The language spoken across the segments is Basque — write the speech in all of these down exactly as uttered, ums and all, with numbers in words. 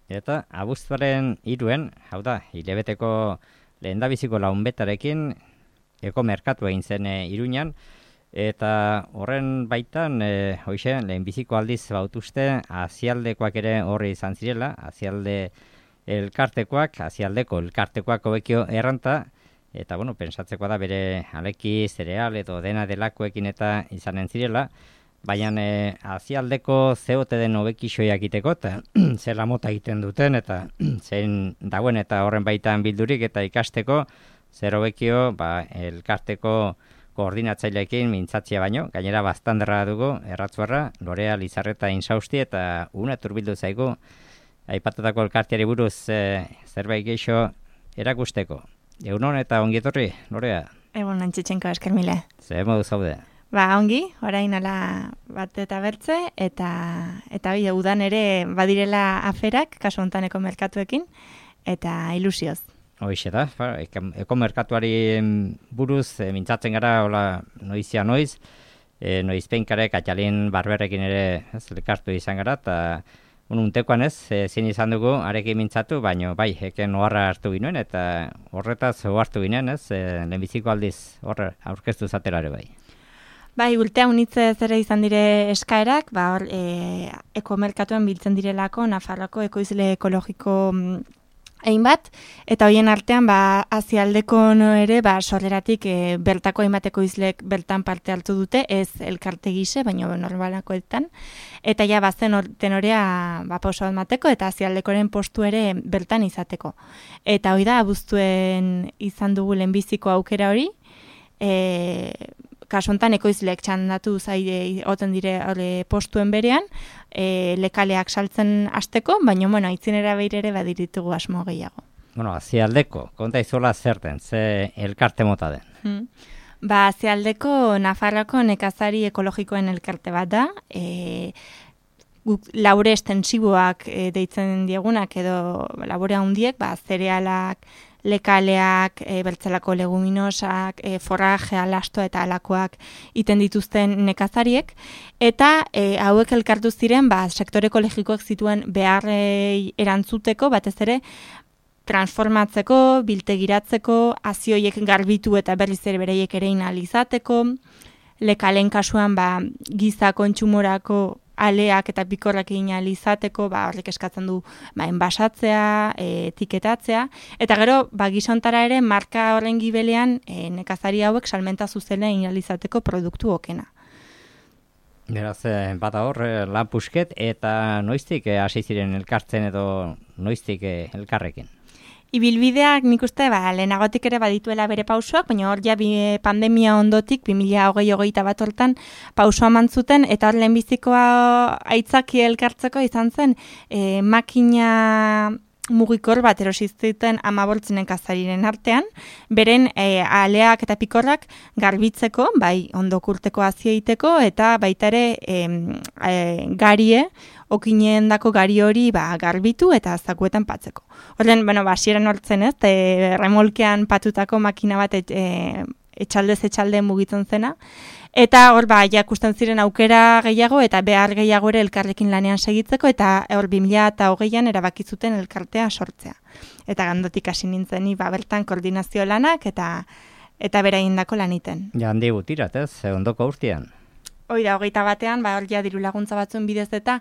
Eta abuztuaren hiruen, hau da, hilabeteko lehendabiziko launbetarekin ekomerkatu egin zen e, Iruñan, eta horren baitan, e, hoxe, lehenbiziko aldiz bautuzte, azialdekoak ere horri izan zirela, azialde elkartekoak, azialdeko elkartekoak hobekio erranta, eta, bueno, pensatzeko da bere aleki, zereal, edo dena delakoekin eta izanen zirela, baina e, azialdeko zeote den hobekixoiak iteko, eta zela mota egiten duten, eta zein dagoen eta horren baitan bildurik eta ikasteko, zer hobekio, ba, elkarteko koordinatzaileekin mintzatzia baino, gainera bastanderra dugu, erratzuarra, Lorea, Lizarreta, Insausti, eta una turbildu zaigu, aipatutako elkarteari buruz e, zerbait geixo erakusteko. Egunon eta ongietorri, Lorea? Egun Antxitxenko, esker mile. Zer modu zaude? Ba, ongi, orain ala bat eta bertze, eta eta bai, udan ere badirela aferak, kasu hontaneko merkatuekin, eta ilusioz. Hoixe da, ba, ekomerkatuari buruz e, mintzatzen gara, hola, noizia noiz, e, noizpeinkarek, atxalin barberrekin ere ez, elkartu izan gara, eta untekoan ez, e, zin izan dugu, arekin mintzatu, baino bai, eken oharra hartu ginoen, eta horretaz ohartu ginen, ez, e, lehenbiziko aldiz horre aurkeztu zaterare bai. Bai, urtea unitze zera izan dire eskaerak, ba, hor, e, ekomerkatuan biltzen direlako, Nafarroako ekoizle ekologiko egin bat, eta hoien artean, ba, azialdeko no ere, ba, sorreratik e, bertako hainbat ekoizlek bertan parte hartu dute, ez elkarte gise, baina normalakoetan, eta ja, bazen tenorea, ba, pauso bat mateko, eta azialdekoren postu ere bertan izateko. Eta hoi da, abuztuen izan dugu lehenbiziko aukera hori, e, kasu honetan ekoizleek txandatu zaide oten dire ole, postuen berean, e, lekaleak saltzen hasteko, baina bueno, aitzinera behir ere badiritugu asmo gehiago. Bueno, azialdeko, konta izola zerten, ze elkarte mota den? Hmm. Ba, azialdeko Nafarroako nekazari ekologikoen elkarte bat da, e, guk labore estensiboak e, deitzen diegunak edo labore handiek, ba, zerealak, lekaleak, e, bertzelako leguminosak, e, forrajea, lastoa eta alakoak iten dituzten nekazariek, eta e, hauek elkartu ziren, ba, sektore ekologikoak zituen beharrei erantzuteko, batez ere, transformatzeko, biltegiratzeko, azioiek garbitu eta berriz ere bereiek ere inalizateko, lekalen kasuan, ba, giza kontsumorako aleak eta pikorrak egin alizateko, ba, horrek eskatzen du ba, enbasatzea, e, etiketatzea, eta gero, ba, gizontara ere, marka horren gibelean e, nekazari hauek salmenta zuzena egin alizateko produktu okena. Beraz, bada hor, lan pusket, eta noiztik hasi ziren elkartzen edo noiztik elkarrekin? Ibilbideak nik uste, ba, lehenagotik ere badituela bere pausoak, baina hor ja bi, pandemia ondotik, bi mila hogei hogeita bat hortan pausoa mantzuten, eta hor lehenbizikoa aitzaki elkartzeko izan zen, e, makina mugikor bat erosizten amaboltzen nekazariren artean, beren e, aleak eta pikorrak garbitzeko, bai ondokurteko azieiteko, eta baita ere e, e, garie, okinen dako gari hori ba, garbitu eta zakuetan patzeko. Horren, bueno, basieran hortzen ez, e, remolkean patutako makina bat et, e, etxaldez etxalde mugitzen zena, eta hor ba, jakusten ziren aukera gehiago eta behar gehiago ere elkarrekin lanean segitzeko, eta hor bi mila hogeian erabakizuten elkartea sortzea. Eta gandotik hasi nintzen ni ba, bertan koordinazio lanak eta eta beraindako laniten. Ja, handi gutirat ez, ondoko urtean. Hoi da, hogeita batean, ba, hor ja diru laguntza batzuen bidez eta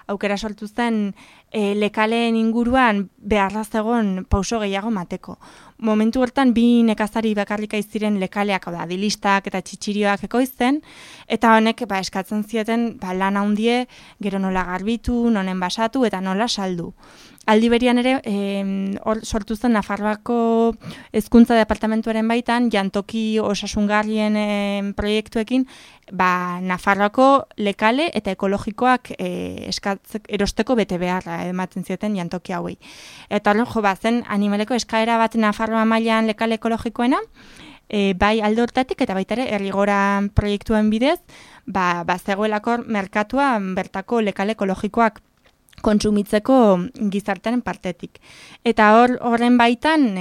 aukera sortu zen e, lekaleen inguruan beharra zegoen pauso gehiago mateko. Momentu hortan bi nekazari bakarrika iziren lekaleak, da, dilistak eta txitsirioak ekoizten, eta honek ba, eskatzen zieten ba, lan handie gero nola garbitu, nonen basatu eta nola saldu. Aldi berian ere, e, or, sortu zen Nafarroako hezkuntza departamentuaren baitan, jantoki osasungarrien e, proiektuekin, ba, Nafarroako lekale eta ekologikoak e, eskatzek, erosteko bete beharra ematen zieten jantoki hauei. Eta horren jo, ba, zen animaleko eskaera bat Nafarroa mailan lekale ekologikoena, e, bai alde hortatik eta baita ere errigora proiektuen bidez, ba, ba zegoelako merkatua bertako lekale ekologikoak kontsumitzeko gizartearen partetik. Eta hor horren baitan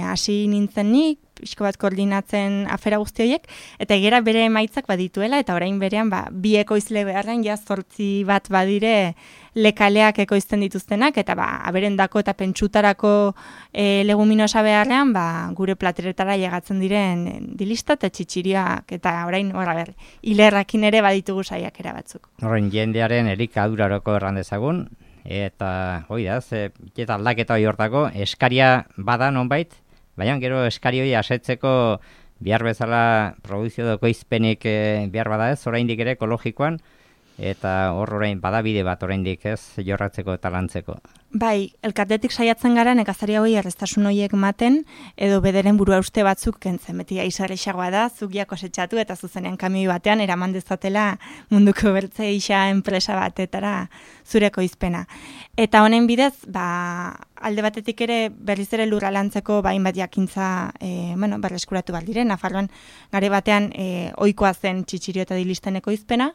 hasi e, nintzen nik, pixko bat koordinatzen afera guzti horiek, eta egera bere emaitzak badituela, eta orain berean ba, bi ekoizle beharren ja zortzi bat badire lekaleak ekoizten dituztenak, eta ba, aberendako eta pentsutarako e, leguminosa beharrean, ba, gure plateretara llegatzen diren dilista eta txitxiriak, eta orain, horra ber, hilerrakin ere baditugu saiakera batzuk. Horren jendearen elikaduraroko erran dezagun, eta hoi da, ze, eta aldaketa hori hortako, eskaria bada nonbait, baina gero eskari hori asetzeko behar bezala produzio doko izpenik e, behar bada ez, oraindik ere ekologikoan, eta hor orain badabide bat oraindik ez jorratzeko eta lantzeko. Bai, elkartetik saiatzen gara nekazari hauei errestasun horiek maten, edo bederen burua uste batzuk kentzen. Beti aizarrexagoa da, zugia kosetxatu eta zuzenean kamioi batean eraman dezatela munduko bertze isa enpresa batetara zureko izpena. Eta honen bidez, ba, alde batetik ere berriz ere lurra lantzeko bain bat jakintza e, bueno, berreskuratu bat dire. Nafarroan gare batean e, ohikoa zen txitxirio eta dilisteneko izpena,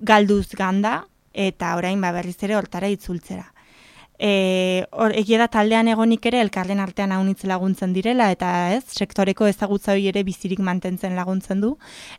galduz ganda, eta orain ba, berriz ere hortara itzultzera. E, or, egia da taldean egonik ere elkarren artean haunitz laguntzen direla, eta ez, sektoreko ezagutza hori ere bizirik mantentzen laguntzen du.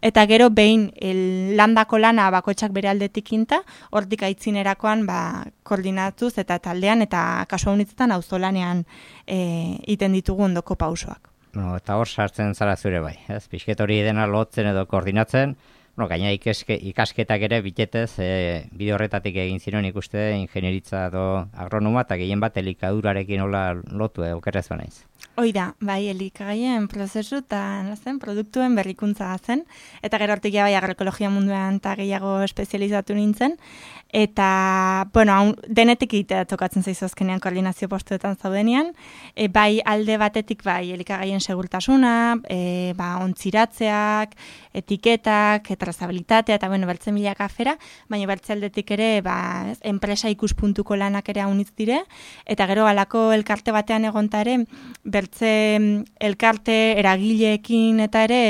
Eta gero behin el, landako lana bakoitzak bere aldetik inta, hortik aitzinerakoan ba, koordinatuz eta taldean eta kasu haunitzetan auzolanean e, iten ditugu ondoko pausoak. No, eta hor sartzen zara zure bai, ez? Pixket hori dena lotzen edo koordinatzen, no, gaina ikeske, ikasketak ere bitetez, e, bide horretatik egin ziren ikuste ingenieritza edo agronoma eta gehien bat elikadurarekin hola lotu okerrez banaiz. Hoi da, bai, elikagaien prozesu eta zen, produktuen berrikuntza zen, eta gero hortik bai agroekologia munduan eta gehiago espezializatu nintzen, eta, bueno, haun, denetik egitea tokatzen zaizu azkenean koordinazio postuetan zaudenean, e, bai alde batetik bai elikagaien segurtasuna, e, ba, ontziratzeak, etiketak, trazabilitatea, eta bueno, bertzen milaka afera, baina bertze aldetik ere, ba, ez, enpresa ikuspuntuko lanak ere haunitz dire, eta gero alako elkarte batean egonta ere, bertze elkarte eragileekin eta ere,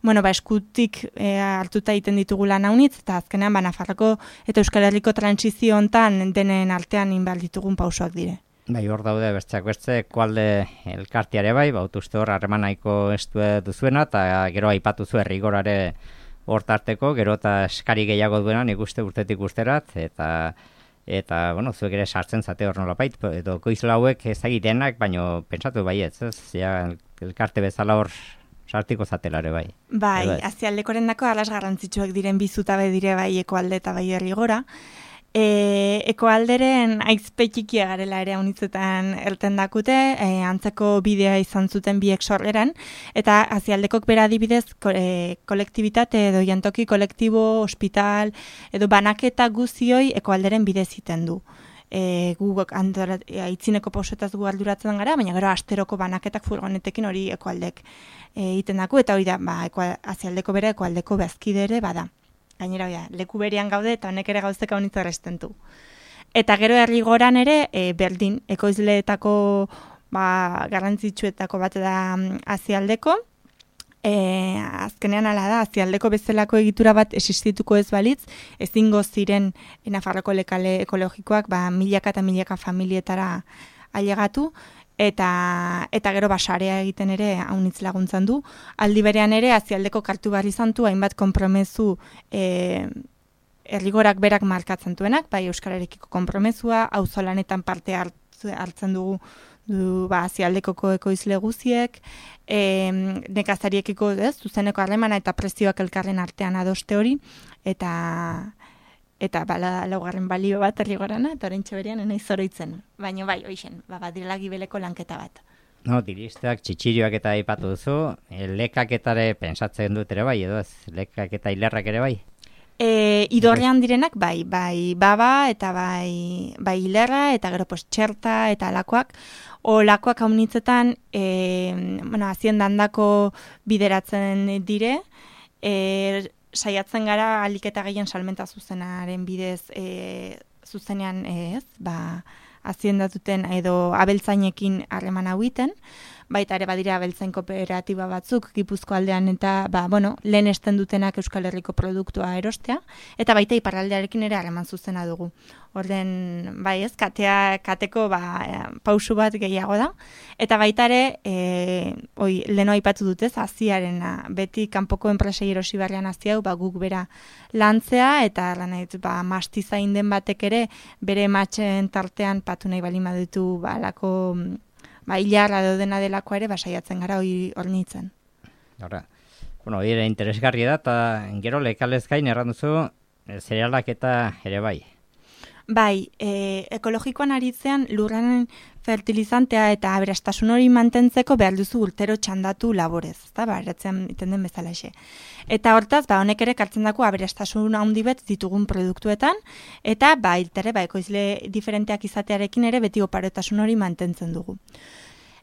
bueno, ba, eskutik e, hartuta egiten ditugu lan haunitz, eta azkenean, ba, Nafarroko eta Euskal Herriko transizio hontan denen artean inbal ditugun pausoak dire. Bai, hor daude bertzeak bertze, koalde elkarteare bai, bautuzte hor harremanaiko estue duzuena, eta gero aipatu zu errigorare hor tarteko, gero eta eskari gehiago duena nik uste urtetik usterat, eta eta, bueno, zuek ere sartzen zate hor nolapait, edo koizla hauek ezagitenak, baino pentsatu baietz, ez? Ja, elkarte bezala hor sartiko zatelare bai. Bai, azialdekoren dako alas garrantzitsuak diren bizutabe dire bai ekoalde eta bai herrigora. E, ekoalderen aizpekikia garela ere haunitzetan erten dakute, e, antzeko bidea izan zuten biek sorreran, eta azialdekok bera adibidez ko, e, kolektibitate edo jantoki kolektibo, hospital, edo banaketa guzioi ekoalderen bidez iten du. E, gu aitzineko pausetaz gu arduratzen gara, baina gero asteroko banaketak furgonetekin hori ekoaldek egiten daku, eta hori da, ba, azialdeko bera ekoaldeko bezkide ere bada. Gainera, ja, leku berean gaude eta honek ere gauzteka honitza errestentu. Eta gero herrigoran ere, e, berdin, ekoizleetako ba, garrantzitsuetako bat da azialdeko. E, azkenean ala da, azialdeko bezalako egitura bat existituko ez balitz, ezingo ziren Nafarroko lekale ekologikoak ba, milaka eta milaka familietara ailegatu, Eta, eta gero basarea egiten ere haunitz laguntzan du. Aldi berean ere, azialdeko kartu barri zantu, hainbat konpromezu e, errigorak berak markatzen duenak, bai euskararekiko konpromezua, auzolanetan parte hartzen dugu du, ba, azialdekoko ekoizle guziek, e, nekazariekiko ez, zuzeneko harremana eta prezioak elkarren artean adoste hori, eta... eta bala laugarren balio bat errigorana, eta oraintxe berean enaiz zoroitzen. Baina bai, hoixen, ba, badirela gibeleko lanketa bat. No, diristak, txitxirioak eta aipatu duzu, e, lekaketare pensatzen dut ere bai, edo ez, lekak eta hilerrak ere bai? E, idorrean direnak, bai, bai baba, eta bai, bai hilerra, eta gero pues, txerta, eta alakoak. O lakoak haunitzetan, e, bueno, aziendandako bideratzen dire, e, saiatzen gara aliketa gehien salmenta zuzenaren bidez e, zuzenean ez, ba, aziendatuten edo abeltzainekin harreman hau iten, baita ere badira abeltzain kooperatiba batzuk Gipuzko aldean eta ba, bueno, lehen esten dutenak Euskal Herriko produktua erostea, eta baita iparraldearekin ere harreman zuzena dugu. Orden, bai ez, katea, kateko ba, pausu bat gehiago da, eta baita ere, e, oi, leno aipatu dutez, aziarena, beti kanpoko enpresei erosi barrian aziau, ba, guk bera lantzea, eta lanait, ba, mastizain den batek ere, bere matxen tartean patu nahi bali madutu, ba, lako, ba, hilarra dena delako ere, ba, saiatzen gara hori hornitzen. Horra, bueno, hori ere interesgarri da, eta gero lekalez gain erran duzu, zerealak eta ere bai. Bai, e, ekologikoan aritzean lurraren fertilizantea eta aberastasun hori mantentzeko behar duzu urtero txandatu laborez, ezta, ba, eratzen iten den bezalaxe. Eta hortaz, ba, honek ere kartzen dako aberastasun handi bet ditugun produktuetan, eta ba, iltere, ba, ekoizle diferenteak izatearekin ere beti oparotasun hori mantentzen dugu.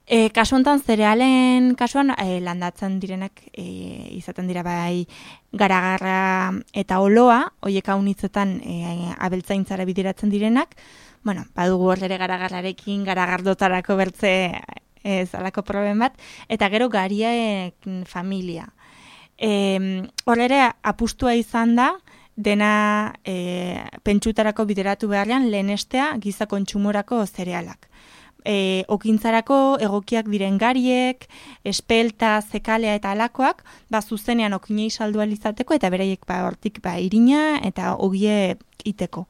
E, kasu honetan, zerealen kasuan e, landatzen direnak e, izaten dira bai garagarra eta oloa, hoiek haunitzetan e, abeltzaintzara bideratzen direnak, bueno, badugu hor ere garagarrarekin, garagardotarako bertze ez alako proben bat, eta gero gariaek familia. E, hor ere apustua izan da, dena e, pentsutarako bideratu beharrean lehenestea giza kontsumorako zerealak. E, okintzarako egokiak diren gariek, espelta, zekalea eta alakoak, ba, zuzenean okinei saldu alizateko eta beraiek ba, hortik ba, irina eta ogie iteko.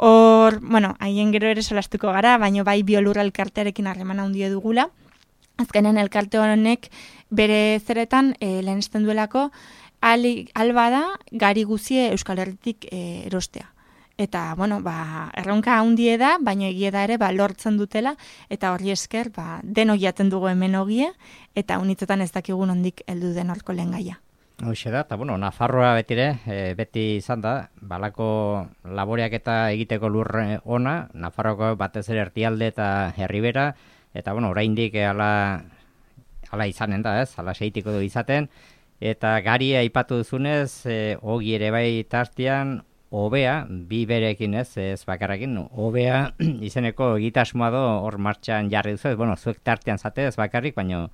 Hor, bueno, haien gero ere solastuko gara, baina bai biolurra elkartearekin harremana handia dugula. Azkenen elkarte honek bere zeretan e, lehenesten duelako alba da gari guzie Euskal Herritik e, erostea. Eta, bueno, ba, erronka handie da, baina egie da ere, ba, lortzen dutela, eta horri esker, ba, deno jaten dugu hemen ogie, eta unitzetan ez dakigun ondik heldu den horko lehen gaia. Hoxe da, eta, bueno, Nafarroa betire, e, beti izan da, balako laboreak eta egiteko lurre ona, Nafarroko batez ere erdialde eta herribera, eta, bueno, oraindik ala, ala izanen da, ez, ala seitiko du izaten, eta gari aipatu duzunez, e, ogi ere bai tartian, Obea, bi berekin ez, ez bakarrakin, Obea izeneko egitasmoa do hor martxan jarri duzu, bueno, zuek tartean zate ez bakarrik, baina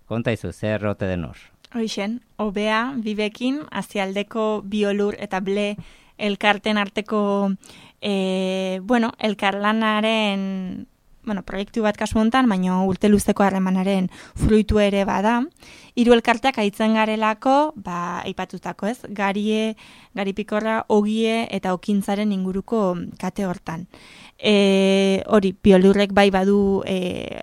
konta izu, zer rote den hor. Hoixen, Obea, bibekin, azialdeko biolur eta ble elkarten arteko, e, bueno, elkarlanaren, bueno, proiektu bat kasu hontan, baina urte luzeko harremanaren fruitu ere bada. Hiru elkarteak aitzen garelako, ba, aipatutako ez, garie, garipikorra, ogie eta okintzaren inguruko kate hortan. E, hori, biolurrek bai badu e,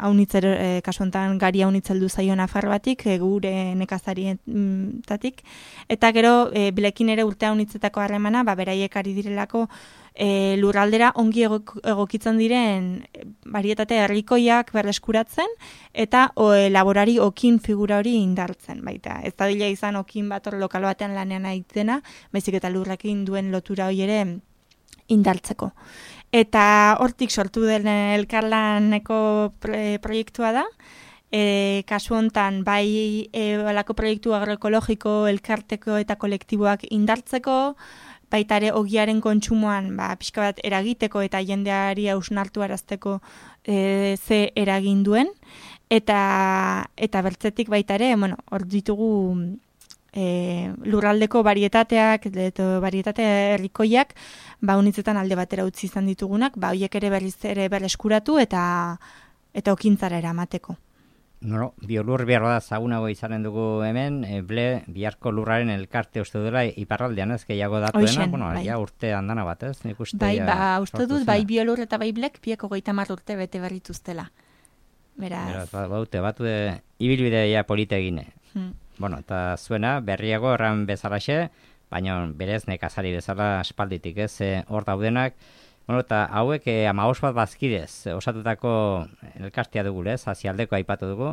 haunitzer, e, kasu hontan gari haunitzeldu zaio Nafarroatik, e, gure nekazarietatik, eta gero e, bilekin ere urte haunitzetako harremana, ba, beraiek ari direlako E, lurraldera ongi egokitzen diren barietate herrikoiak berreskuratzen eta o, e, laborari okin figura hori indartzen. Baita, ez da dila izan okin bat hor lokal batean lanean aitena, baizik eta lurrekin duen lotura hori ere indartzeko. Eta hortik sortu den elkarlaneko proiektua da, e, kasu hontan bai e, alako proiektu agroekologiko, elkarteko eta kolektiboak indartzeko, baita ere ogiaren kontsumoan ba, pixka bat eragiteko eta jendeari hausnartu arazteko e, ze eragin duen. Eta, eta bertzetik baita ere, bueno, hor ditugu e, lurraldeko varietateak, edo varietate herrikoiak, ba, unitzetan alde batera utzi izan ditugunak, ba, horiek ere berriz ere berreskuratu eta, eta okintzara eramateko. No, biolur behar da zagunago izanen dugu hemen, e, ble biharko lurraren elkarte uste dela iparraldean ez gehiago datuena, bueno, bai. Ja urte andana bat ez, nik uste. Bai, ba, uste dut, bai biolur eta bai blek bieko goita mar urte bete berrituztela. Beraz. Beraz, ba, baute, batu de, ibilbide ja polite egine. Hmm. Bueno, eta zuena, berriago erran bezalaxe, baina berez nekazari bezala aspalditik ez, hor daudenak. Bueno, eta hauek eh, amaos bat bazkidez, osatutako elkartea dugu, ez, azialdeko aipatu dugu.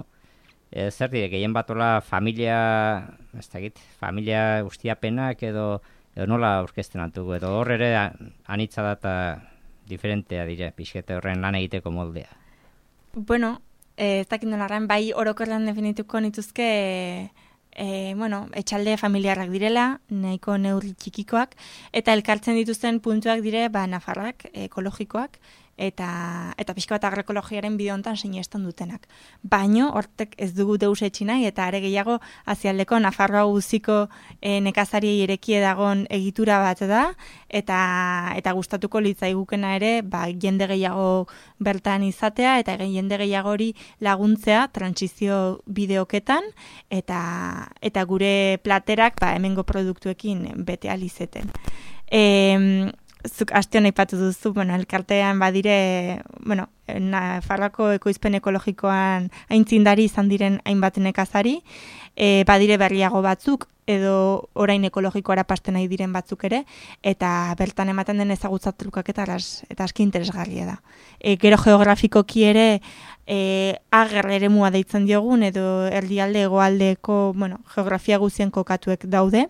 E, zer dire, gehien batola familia, ez da egit, familia ustiapenak edo, edo nola aurkezten altugu, edo hor ere anitza da eta diferentea dire, pixkete horren lan egiteko moldea. Bueno, eh, ez dakit nolarren, bai orokorren definituko nituzke, E, bueno, etxalde familiarrak direla, nahiko neurri txikikoak, eta elkartzen dituzten puntuak dire, ba, Nafarrak, ekologikoak, eta eta pixka bat agroekologiaren bide hontan sinesten dutenak. Baino hortek ez dugu deus etxi nahi eta are gehiago azialdeko Nafarroa guziko e, nekazariei erekie dagon egitura bat da eta eta gustatuko litzaigukena ere ba, jende gehiago bertan izatea eta jende gehiago hori laguntzea trantsizio bideoketan eta eta gure platerak ba, hemengo produktuekin bete alizeten. E, zuk astion aipatu duzu, bueno, elkartean badire, bueno, Nafarroako ekoizpen ekologikoan aintzindari izan diren hainbat nekazari, e, badire berriago batzuk, edo orain ekologikoara pasten nahi diren batzuk ere, eta bertan ematen den ezagutza trukaketa eta aski interesgarria da. E, gero geografikoki ere, e, ager eremua deitzen diogun, edo erdialde egoaldeko, bueno, geografia guzien kokatuek daude,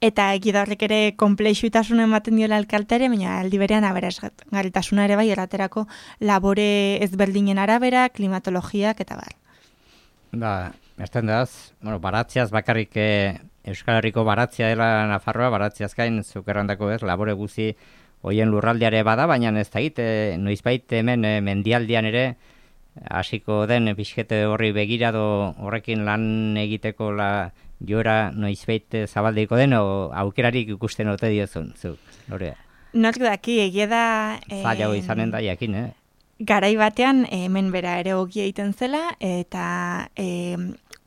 eta egidarrek ere konplexutasuna ematen diola elkarteare, baina aldi berean aberazgarritasuna ere bai erraterako labore ezberdinen arabera, klimatologiak eta bar. Ba, erten daz, bueno, baratziaz bakarrik eh, Euskal Herriko baratzia dela Nafarroa, baratziaz gain zukerrandako ez, labore guzi hoien lurraldeare bada, baina ez da egite, noizbait hemen eh, mendialdian ere hasiko den pixkete horri begirado horrekin lan egiteko la joera noizbait zabaldeiko den, o aukerarik ikusten ote diozun, zuk, Lorea? Nork daki, egia da... Zailago eh, izanen da, jakin, eh? Garai batean, hemen bera ere ogia egiten zela, eta eh,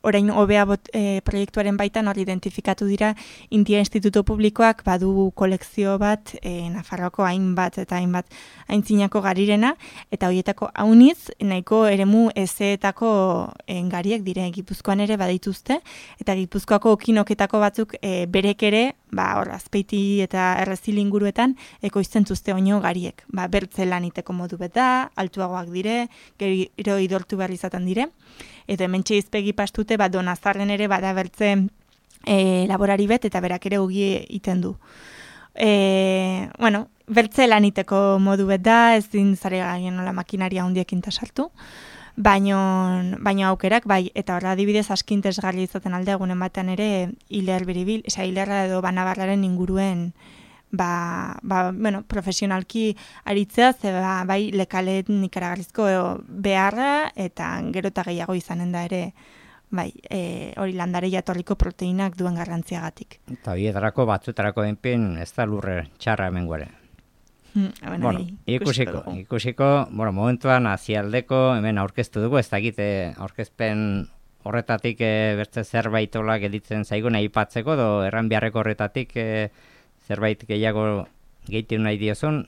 orain hobea e, proiektuaren baitan hor identifikatu dira India Instituto Publikoak badu kolekzio bat e, Nafarroako hainbat eta hainbat aintzinako garirena, eta horietako hauniz nahiko eremu ezeetako e, gariek dire Gipuzkoan ere badaituzte, eta Gipuzkoako okinoketako batzuk e, berek ere, ba, hor, Azpeiti eta Errezil inguruetan ekoizten zuzte oino gariek. Ba, bertze laniteko modu bet da, altuagoak dire, gero idortu behar izaten dire, edo hemen txeizpegi pastute, ba, Donazarren ere bada bertze e, laborari bet, eta berak ere ugi iten du. E, bueno, bertze laniteko modu bet da, ez din zare gaien nola makinaria hundiekin tasartu, baino, baino aukerak, bai, eta horra adibidez askintesgarri izaten alde egunen batean ere hiler biribil, eza hilerra edo banabarraren inguruen ba, ba, bueno, profesionalki aritzea, ze ba, bai lekalen ikaragarrizko beharra, eta gero eta gehiago izanen da ere, bai, e, hori landare jatorriko proteinak duen garrantziagatik. Eta hietarako batzutarako enpin ez da lurre txarra hemen guare. Hmm, bueno, bueno, ikusiko, ikusiko, bueno, momentuan azialdeko hemen aurkeztu dugu, ez da egite aurkezpen horretatik e, bertze zerbaitolak editzen zaigun aipatzeko, do erran beharreko horretatik e, zerbait gehiago gehitu nahi diozun.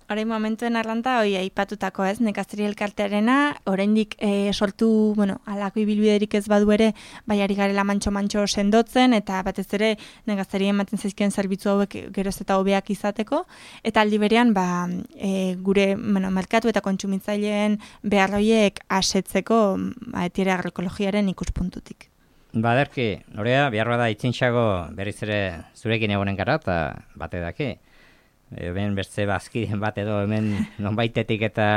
Orain momentuen arranta, hoi aipatutako ez, nekazari elkartearena, oraindik e, sortu, bueno, alako ibilbiderik ez badu ere, bai ari garela mantxo-mantxo sendotzen, eta batez ere nekazari ematen zaizkien zerbitzu hauek geroz eta hobeak izateko, eta aldi berean, ba, e, gure, bueno, merkatu eta kontsumitzaileen beharroiek asetzeko, ba, etiere agroekologiaren ikuspuntutik. Ba, derki, Lorea, behar bada itzintxago berriz ere zurekin egonen gara, eta bate daki. Hemen bertze bazkiden bat edo hemen nonbaitetik eta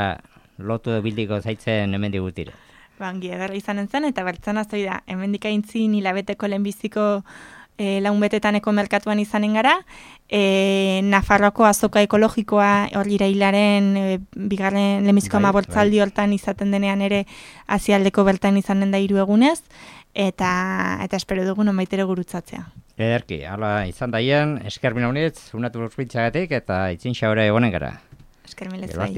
lotu bildiko zaitzen hemen digutire. Bangi, edarra izanen zen, eta bertzen azoi da, hemen dikaintzin hilabeteko lehenbiziko e, launbetetaneko merkatuan izanen gara, e, Nafarroako azoka ekologikoa hor irailaren e, bigarren lehenbiziko ama bortzaldi hortan izaten denean ere azialdeko bertan izanen da hiru egunez, eta eta espero dugu nonbaitere gurutzatzea. Ederki, hala izan daien, esker mina honitz, unatu urpitzagatik eta itzin xaure egonen gara. Esker milez bai.